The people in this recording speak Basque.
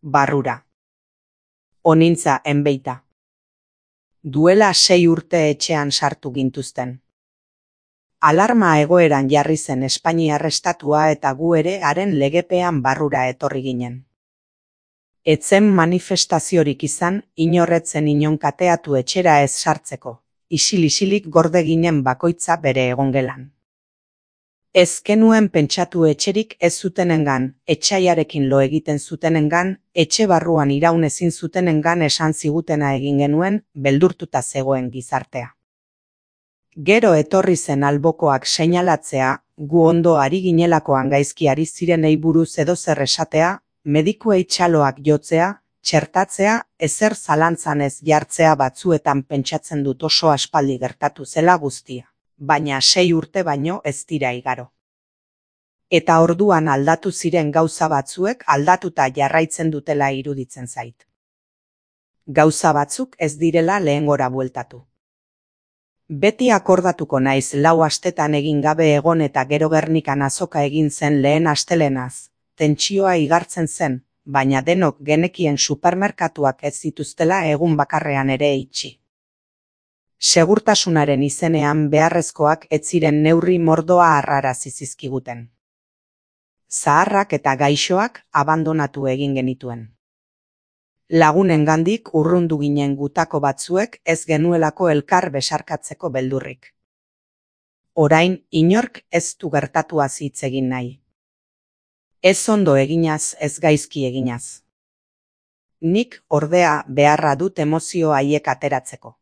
barrura. Onintza enbeita. Duela 6 urte etxean sartu gintuzten. Alarma egoeran jarri zen Espainiar estatua eta gu ere haren legepean barrura etorri ginen. Etzen manifestaziorik izan, inorretzen inon kateatu etxera ez sartzeko, isil-isilik gorde ginen bakoitza bere egongelan. Ez genuen pentsatu etxerik ez zutenengan, etsaiarekin lo egiten zutenengan, etxe barruan iraun ezin zutenengan esan zigutena egin genuen, beldurtuta zegoen gizartea. Gero etorri zen albokoak seinalatzea, gu ondo ari ginelakoan gaizki ari zirenei buruz edozer esatea, medikuei txaloak jotzea, txertatzea, ezer zalantzan ez jartzea batzuetan pentsatzen dut oso aspaldi gertatu zela guztia, baina 6 urte baino ez dira igaro. Eta orduan aldatu ziren gauza batzuek aldatuta jarraitzen dutela iruditzen zait. Gauza batzuk ez direla lehengora bueltatu. Beti akordatuko naiz 4 astetan egin gabe egon eta gero Gernikan azoka egin zen lehen astelenaz, tentsioa igartzen zen, baina denok genekien supermerkatuak ez zituztela egun bakarrean ere itxi. Segurtasunaren izenean beharrezkoak ez ziren neurri mordoa harrarazi zizkiguten. Zaharrak eta gaixoak abandonatu egin genituen. Lagunengandik urrundu ginen gutako batzuek ez genuelako elkar besarkatzeko beldurrik. Orain inork ez du gertatuaz hitz egin nahi. Ez ondo eginaz, ez gaizki eginaz. Nik ordea beharra dut emozio haiek ateratzeko.